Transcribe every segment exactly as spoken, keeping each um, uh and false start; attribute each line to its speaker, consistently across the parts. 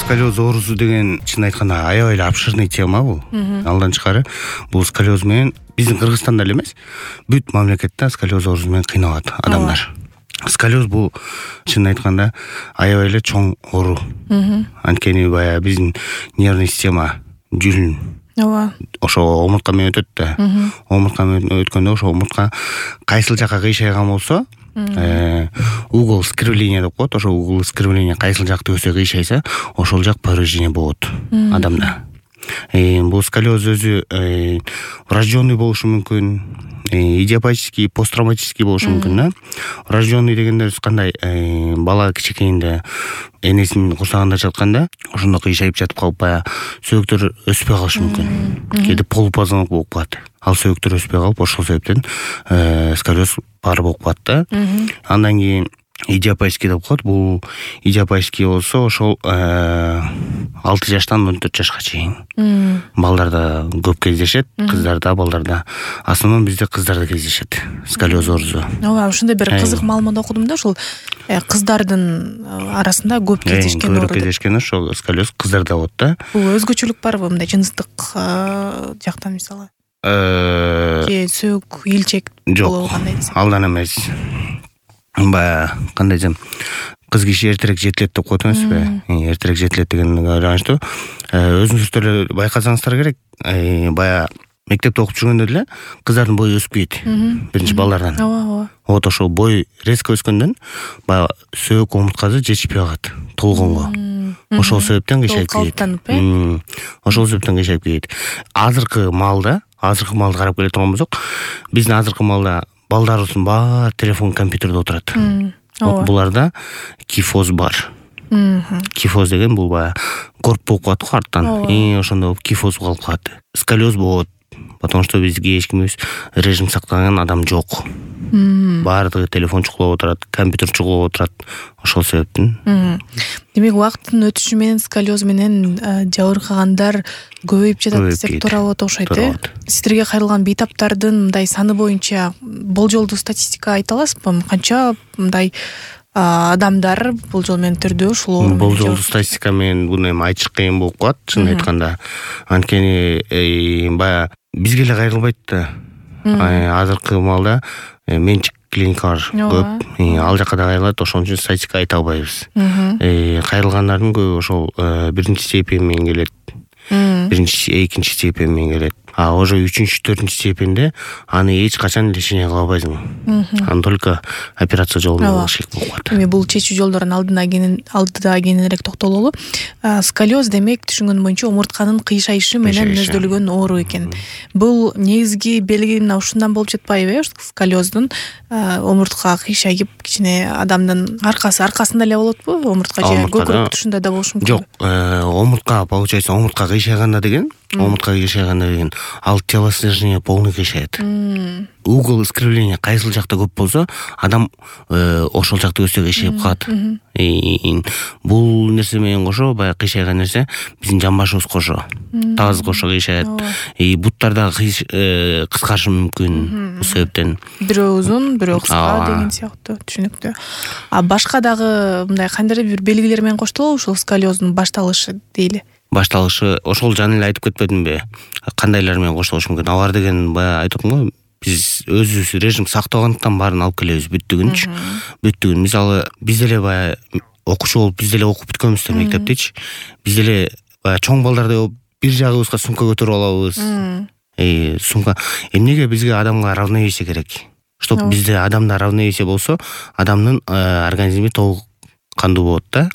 Speaker 1: сколиоз оорусу деген чын айтканда аябай эле обширный тема бул. Алдан тышкары бул сколиоз менен биздин Кыргызстанда эле эмес, бүт мамлекетте сколиоз оорусу менен кыйналат адамдар. Сколиоз бул чын айтканда аябай эле чоң оору. Анткени баягы биздин нервный система жүлүн.
Speaker 2: Ооба.
Speaker 1: Ошо омуртка менен өтөт да. Омуртка менен өткөндө ошо омуртка кайсыл жакка кыйшайган болсо, угол скривления деп коет. Ошо угол скривления кайсыл жакты өсө кыйшайса, ошол жак повреждение болот адамда. Бул сколиоз өзү врожденный болушу мүмкүн, идиопатический, посттравматический болушу мүмкүн да. Врожденный дегенде кандай, бала кичинекейинде энесинин курсагында жатканда ошондо кыйшайып жатып калып баягы сөөктөр өспөй калышы мүмкүн. Кээде полупозвонок болуп калат. Ал сөөктөр өспөй калып, ошол себептен сколиоз бар болуп калат да. Андан кийин идиопатический деп коет. Бул идиопатический болсо ошол алты жаштан он төрт жашка чейин. Балдарда көп кездешет, кыздарда, балдарда. Основном бизде кыздарда кездешет сколиоз оорусу.
Speaker 2: Ооба, ушундай бир кызык маалымат окудум да, ушул кыздардын арасында көп кездешкен оору.
Speaker 1: Көп кездешкен ошол сколиоз кыздарда болот да.
Speaker 2: Бул өзгөчөлүк барбы мындай жыныстык жактан мисалы? Же сөөк, илчек болобу кандай десем?
Speaker 1: Алдан эмес. Баягы кандай десем, кыз киши эртерээк жетилет деп коет эмеспи? Эртерээк жетилет дегенге байланыштуу. Өзүңүздөр эле байкасаңыздар керек. Баягы мектепте окуп жүргөндө деле кыздардын бою өсүп кетти. Биринчи балдардан.
Speaker 2: Ооба, ооба.
Speaker 1: Вот ошол бой резко өскөндөн баягы сөөк омурткасы жетишпей калат толгонго. Ошол себептен кыйшайып кетет. Ошол себептен кыйшайып кетет. Азыркы маалда, азыркы маалды карап келе турган болсок, биздин азыркы маалда балдарыбыздын баары телефон, компьютерде отурат. Вот буларда кифоз бар. Кифоз деген бул баягы корп болуп калат го арттан. И ошондо кифоз калып калат. Сколиоз болот. Потому что бизге эч кимибиз режим сактаган адам жок. Баардыгы телефон чукулап отурат, компьютер чукулап отурат. Ошол себептен.
Speaker 2: Демек, убакыттын өтүшү менен сколиоз менен жабыркагандар көбөйүп жатат десек туура болот окшойт, э? Сиздерге кайрылган бейтаптардын мындай саны боюнча болжолдуу статистика айта аласызбы? Канча мындай адамдар болжол менен түрдө ушул оору менен?
Speaker 1: Болжолдуу статистика менен буну эми айтыш кыйын болуп калат, чын айтканда. Анткени баягы бизге эле кайрылбайт да. Азыркы маалда менчик клиникалар көп. Ал жакка да кайрылат, ошон үчүн статистика айта албайбыз. Кайрылгандардын көбү ошол биринчи степень менен келет. Биринчи, экинчи степень менен келет. А уже үчүнчү, төртүнчү степенде аны эч качан лечение кыла албайсың. Аны только операция жолу менен кылыш керек болуп калат.
Speaker 2: Эми бул чечүү жолдорун алдына кенен алдыда кененирээк токтололу. Сколиоз демек түшүнгөнүм боюнча омуртканын кыйшайышы менен мүнөздөлгөн оору экен. Бул негизги белги мына ушундан болуп жатпайбы, э? Сколиоздун омуртка кыйшайып, кичине адамдын аркасы аркасында эле болотпу? Омуртка же көкүрөк тушунда да болушу мүмкүн.
Speaker 1: Жок, омуртка получается, омуртка кыйшайганда деген, омуртка кыйшайганда деген ал телосложение полный кыйшайт. Угол искривления кайсыл жакта көп болсо, адам ошол жакта өсө кыйшайып калат. Бул нерсе менен кошо, баягы кыйшайган нерсе биздин жамбашыбыз кошо, таз кошо кыйшайат. И буттарда кыскарышы мүмкүн. Бул себептен
Speaker 2: бирөө узун, бирөө кыска деген сыяктуу, түшүнүктүү. А башка дагы мындай кандайдыр бир белгилер менен коштолобу ушул сколиоздун башталышы дейли?
Speaker 1: Башталышы ошол жана эле айтып кетпедимби? Кандайлар менен коштолушу мүмкүн? Алар деген баягы айтып атам го, биз өзүбүз режим сактагандыктан баарын алып келебиз бүттүгүнчү. Бүттүгүн. Мисалы, биз деле баягы окуучу болуп, биз деле окуп бүткөнбүз да мектептечи. Биз деле баягы чоң балдардай болуп, бир жагыбызга сумка көтөрүп алабыз. Э, сумка. Эмнеге бизге адамга равновесие керек? Чтоб бизде адамда равновесие болсо, адамдын организми толук кандуу болот да.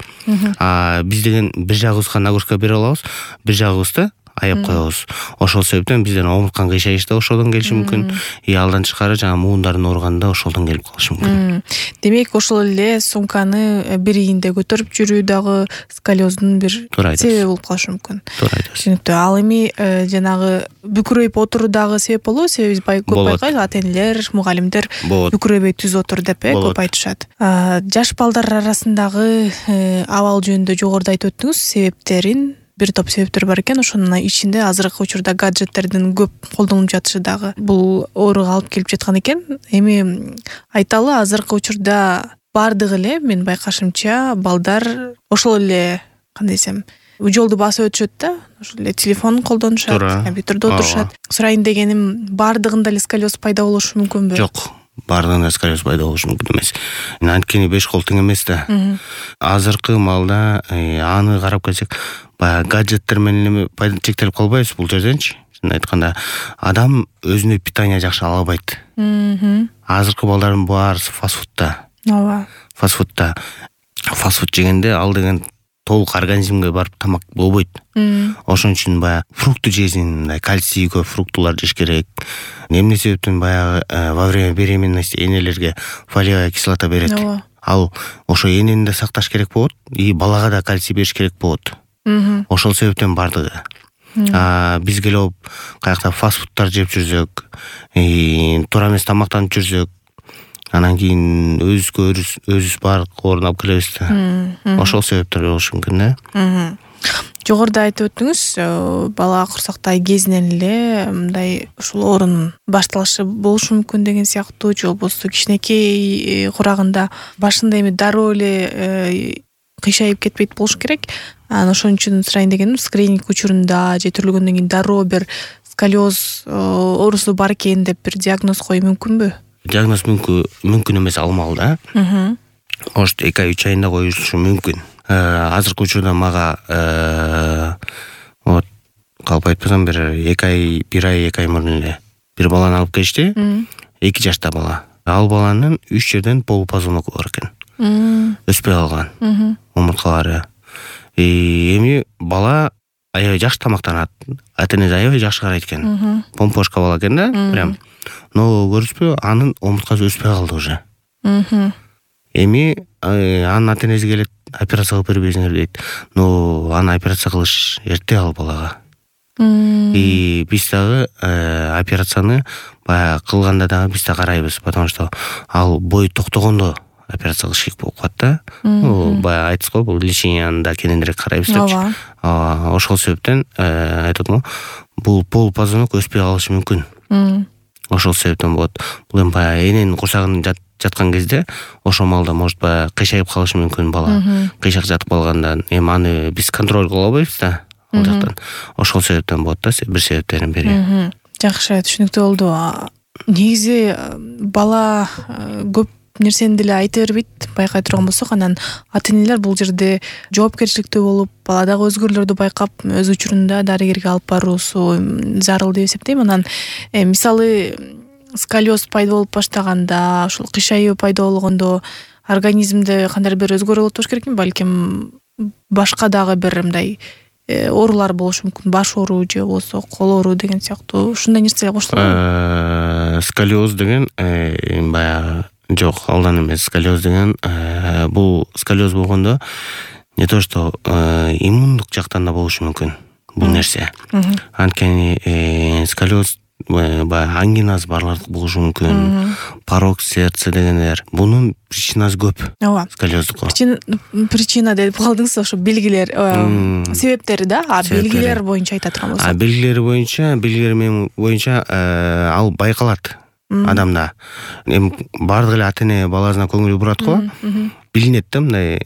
Speaker 1: А биз деген бир жагыбызга нагрузка бере алабыз, бир жагыбызды аяп коебуз. Ошол себептен бизден омуртканын кыйшайышы да ошодон келиши мүмкүн. И алдан тышкары жана муундардын ооруганы да ошолдон келип калышы мүмкүн.
Speaker 2: Демек, ошол эле сумканы бир ийинде көтөрүп жүрүү дагы сколиоздун бир себеби болуп калышы мүмкүн. Түшүнүктүү. Ал эми жанагы бүкүрөйүп отуруу дагы себеп болобу? Себеби биз көп байкайбыз, ата-энелер, мугалимдер бүкүрөбөй түз отур деп көп айтышат. Жаш балдар арасындагы абал жөнүндө жогоруда айтып өттүңүз, себептерин бир топ себептер бар экен. Ошонун ичинде азыркы учурда гаджеттердин көп колдонулуп жатышы дагы бул ооруга алып келип жаткан экен. Эми айталы, азыркы учурда бардыгы эле, мен байкашымча, балдар ошол эле кандай десем жолду басып өтүшөт да, ошол эле телефонун колдонушат, компьютерде отурушат. Сурайын дегеним, баардыгында эле сколиоз пайда болушу мүмкүнбү?
Speaker 1: Жок, баардыгында сколиоз пайда болушу мүмкүн эмес. Анткени беш кол тең эмес да. Азыркы маалда аны карап келсек, баягы гаджеттер менен пайда чектелип калбайбыз бул жерденчи. Чын айтканда, адам өзүнө питание жакшы ала албайт. Азыркы балдардын баарысы фастфудта.
Speaker 2: Ооба.
Speaker 1: Фастфудта. Фастфуд жегенде ал деген толук организмге барып тамак болбойт. Ошон үчүн баягы фрукты жесин, мындай кальций көп фруктулар жеш керек. Эмне себептен баягы во время беременности энелерге фолиевая кислота берет. Ал ошо энени да сакташ керек болот, и балага да кальций бериш керек болот. Ошол себептен бардыгы. А биз келип каякта фастфудтар жеп жүрсөк, туура эмес тамактанып жүрсөк, анан кийин өзүбүзгө өзүбүз баардык оорун алып келебиз да. Ошол себептер болушу мүмкүн да.
Speaker 2: Жогоруда айтып өттүңүз, бала курсактай кезинен эле мындай ушул оорунун башталышы болушу мүмкүн деген сыяктуу, же болбосо кичинекей курагында башында эми дароо эле кыйшайып кетпейт болуш керек. Анан ошон үчүн сурайын дегеним, скрининг учурунда же төрөлгөндөн кийин дароо бир сколиоз оорусу бар экен деп бир диагноз коюу мүмкүнбү?
Speaker 1: Диагноз мүмкүн мүмкүн эмес алмал да. Может, эки ай үч айында коюлушу мүмкүн. Азыркы учурда мага вот калп айтпасам бир эки ай, бир ай, эки ай мурун эле бир баланы алып келишти. эки жашта бала. Ал баланын үч жерден полупозвонок бар экен. Өспөй калган омурткалары. Эми бала аябай жакшы тамактанат. Ата-энеси аябай жакшы карайт экен. Помпошка бала экен да, прям. Но көрүпсүзбү, анын омурткасы өспөй калды уже. Эми анын ата-энеси келет, операция кылып бербейсиңер дейт. Но аны операция кылыш эрте ал балага. И биз дагы операцияны баягы кылганда дагы биз да карайбыз, потому что ал бой токтогондо операция кылыш керек болуп калат да. Баягы айтсыз го, бул леченияны да кененирээк карайбыз депчи. Ошол себептен айтып атам, бул полупозвонок өспөй калышы мүмкүн. Ошол себептен болот. Бул эми баягы эненин курсагында жаткан кезде ошол маалда может баягы кыйшайып калышы мүмкүн бала. Кыйшак жатып калгандан эми аны биз контроль кыла албайбыз да. Ал жактан. Ошол себептен болот да, бир себептердин бири.
Speaker 2: Жакшы, түшүнүктүү болду. Негизи бала көп нерсени деле айта бербейт, байкай турган болсок, анан ата-энелер бул жерде жоопкерчиликтүү болуп, баладагы өзгөрүүлөрдү байкап, өз учурунда дарыгерге алып баруусу зарыл деп эсептейм. Анан мисалы сколиоз пайда болуп баштаганда, ушул кыйшайуу пайда болгондо организмде кандайдыр бир өзгөрүү болот болуш керекпи? Балким башка дагы бир мындай оорулар болушу мүмкүн, баш оору же болбосо кол оору деген сыяктуу ушундай нерселер коштолобу?
Speaker 1: Сколиоз деген баягы жок, алдан эмес. Сколиоз деген бул сколиоз болгондо не то что иммундук жактан да болушу мүмкүн бул нерсе. Анткени сколиоз баягы ангинасы барлар болушу мүмкүн. Порок сердца дегендер. Бунун причинасы көп. Ооба. Сколиоздук.
Speaker 2: Причина деп калдыңыз, ошо белгилер, себептери да, а белгилер боюнча айта турган болсок.
Speaker 1: А белгилери боюнча, белгилери боюнча ал байкалат адамда. Эми бардык эле ата-эне баласына көңүл бурат го. Билинет да, мындай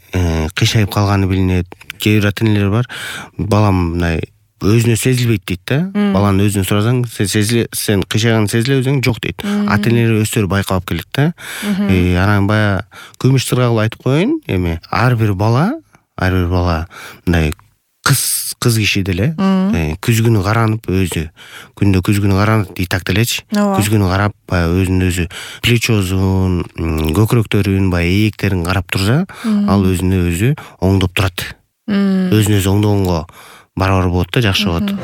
Speaker 1: кыйшайып калганы билинет. Кээ бир ата-энелер бар, балам мындай өзүнө сезилбейт дейт да. Баланы өзүнө сурасаң, сен сезиле, сен кыйшайганын сезиле өзүң жок дейт. Ата-энелер өздөрү байкап келет да. Анан баягы күмүш сырга кылып айтып коеюн, эми ар бир бала, ар бир бала мындай кыз кыз киши деле күзгүнү каранып өзү күндө күзгүнү каранып итак делечи. Күзгүнү карап баягы өзүн өзү плечосун, көкүрөктөрүн, баягы ийектерин карап турса, ал өзүнө өзү оңдоп турат. Өзүн өзү оңдогонго барабар болот да, жакшы болот.